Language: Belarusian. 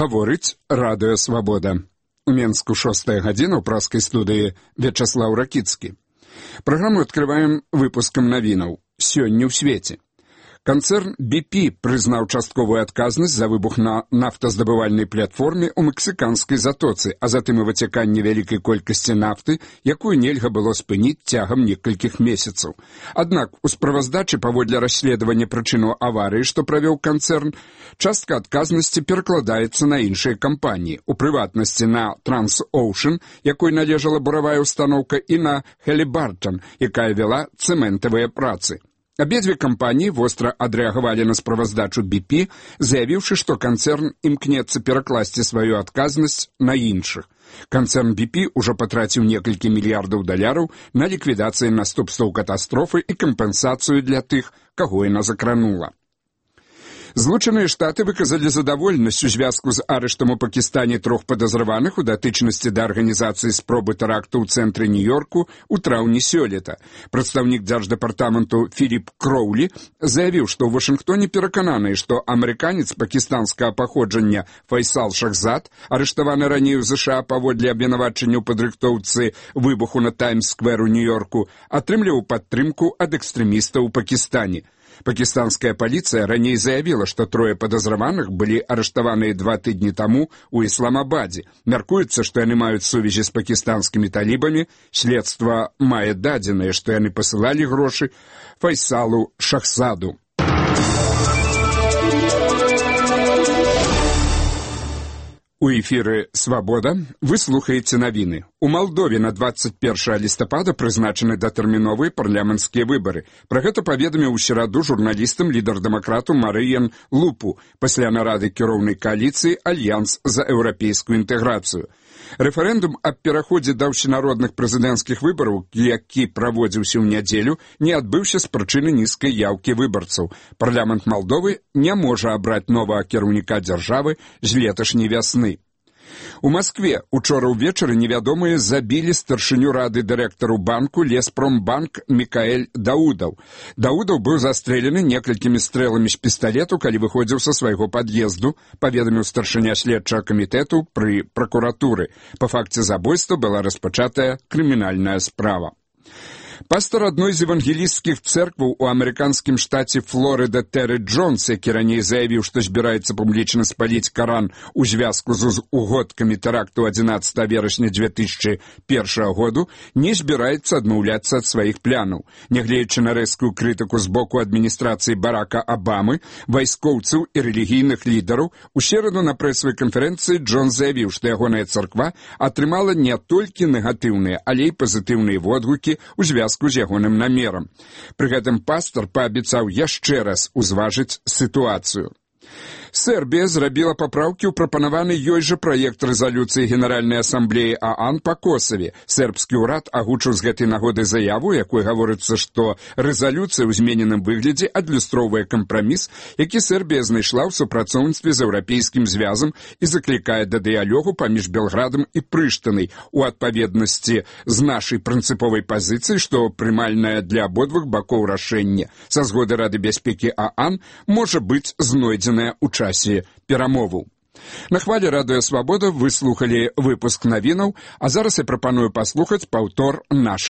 Гаворыць Радыё Свабода. У Менску 6 гадзіна ў праскай студыі Вячаслаў Ракіцкі. Праграму адкрываем выпускам навінаў. Сёння ў свеце. Канцэрн BP прызнаў частковую адказнасць за выбух на нафтаздабывальнай платформе ў мексіканскай затоцы, а затым і выцяканне вялікай колькасці нафты, якую нельга было спыніць цягам некалькіх месяцаў. Аднак у справаздачы паводле расследавання прычынаў аварыі, што правёў канцэрн, частка адказнасці перакладаецца на іншыя кампаніі, у прыватнасці на Transocean, якой належала буравая устаноўка, і на Halliburton, якая вела цэментавыя працы. Абедзве кампаніі востра адрэагавалі на справаздачу BP, заявіўшы, што канцэрн імкнецца перакласці сваю адказнасць на іншых. Канцэрн BP ўжо патраціў некалькі мільярдаў даляраў на ліквідацыю наступстваў катастрофы і кампенсацыю для тых, каго яна закранула. Злучаныя Штаты выказалі задаволенасць у звязку з арыштам у Пакістане 3 падазраваных у датычнасці да арганізацыі спробы тэракту ў цэнтры Нью-Йорку ў траўні сёлета. Прадстаўнік дзярждэпартаменту Філіп Кроулі заявіў, што ў Вашынгтоне перакананы, што амерыканец пакістанскага паходжання Файсал Шахзад, арыштаваны раней у ЗША паводле абвінавачання ў падрыхтоўцы выбуху на Таймс-сквер у Нью-Йорку, атрымліваў падтрымку ад экстрэмістаў у Пакістане. Пакістанская паліцыя раней заявіла, што 3 падазраваных былі арыштаваныя 2 тыдні таму ў Ісламабадзе. Мяркуецца, што яны маюць сувязі з пакістанскімі талібамі. Следства мае дадзеныя, што яны пасылалі грошы Файсалу Шахзаду. У эфіры «Свабода» вы слухаеце навіны. У Малдове на 21 лістапада прызначаны датэрміновыя парламенцкія выбары. Пра гэта паведаміў у сераду журналістам лідар дэмакрату Марыян Лупу пасля нарады кіроўнай кааліцыі «Альянс за еўрапейскую інтэграцыю». Рэферэндум аб пераходзе да ўсенародных прэзідэнцкіх выбараў, які праводзіўся ў нядзелю, не адбыўся з прычыны нізкай яўкі выбарцаў. Парламент Малдовы не можа абраць новага кіраўніка дзяржавы з леташняй вясны. У Маскве учора ўвечары невядомыя забілі старшыню рады дырэктару банку Леспромбанк Мікаэль Даудаў. Даудаў быў застрэлены некалькімі стрэламі з пісталету, калі выходзіў са свайго пад'езду, паведаміў старшыня следчага камітэту пры пракуратуры. Па факце забойства была распачатая крымінальная справа. Пастор адной з евангелісцкіх цэркваў у амерыканскім штаце Флорыда Тэры Джонс, які раней заявіў, што збіраецца публічна спаліць Каран у звязку з угодкамі тэракту 11 верасня 2001 году, не збіраецца адмаўляцца ад сваіх планаў. Нягледзячы на рэзкую крытыку з боку адміністрацыі Барака Абамы, вайскоўцаў і рэлігійных лідараў, у сераду на прэсавай канферэнцыі Джонс заявіў, што ягоная царква атрымала не толькі негатыўныя, але і пазітыўныя водгукі ў звязку з ягоным намерам. Пры гэтым пастор паабяцаў яшчэ раз узважыць сітуацыю. Сербія зрабіла папраўкі ў прапанаваны ёй жа праект рэзалюцыі Генеральнай асамблеі ААН па Косаве. Сербскі ўрад агучыў з гэтай нагоды заяву, якой гаворыцца, што рэзалюцыя ў змененым выглядзе адлюстроўвае кампраміс, які Сербія знайшла ў супрацоўніцтве з еўрапейскім звязам і заклікае да дыялогу паміж Белградам і Прыштынай у адпаведнасці з нашай прынцыповай пазіцыяй, што прымальнае для абодвух бакоў рашэнне са згоды Рады бяспекі ААН можа быць знойдзенае ў часе перамоваў. На хвале Радыё Свабода вы слухалі выпуск навінаў, а зараз я прапаную паслухаць паўтор нашых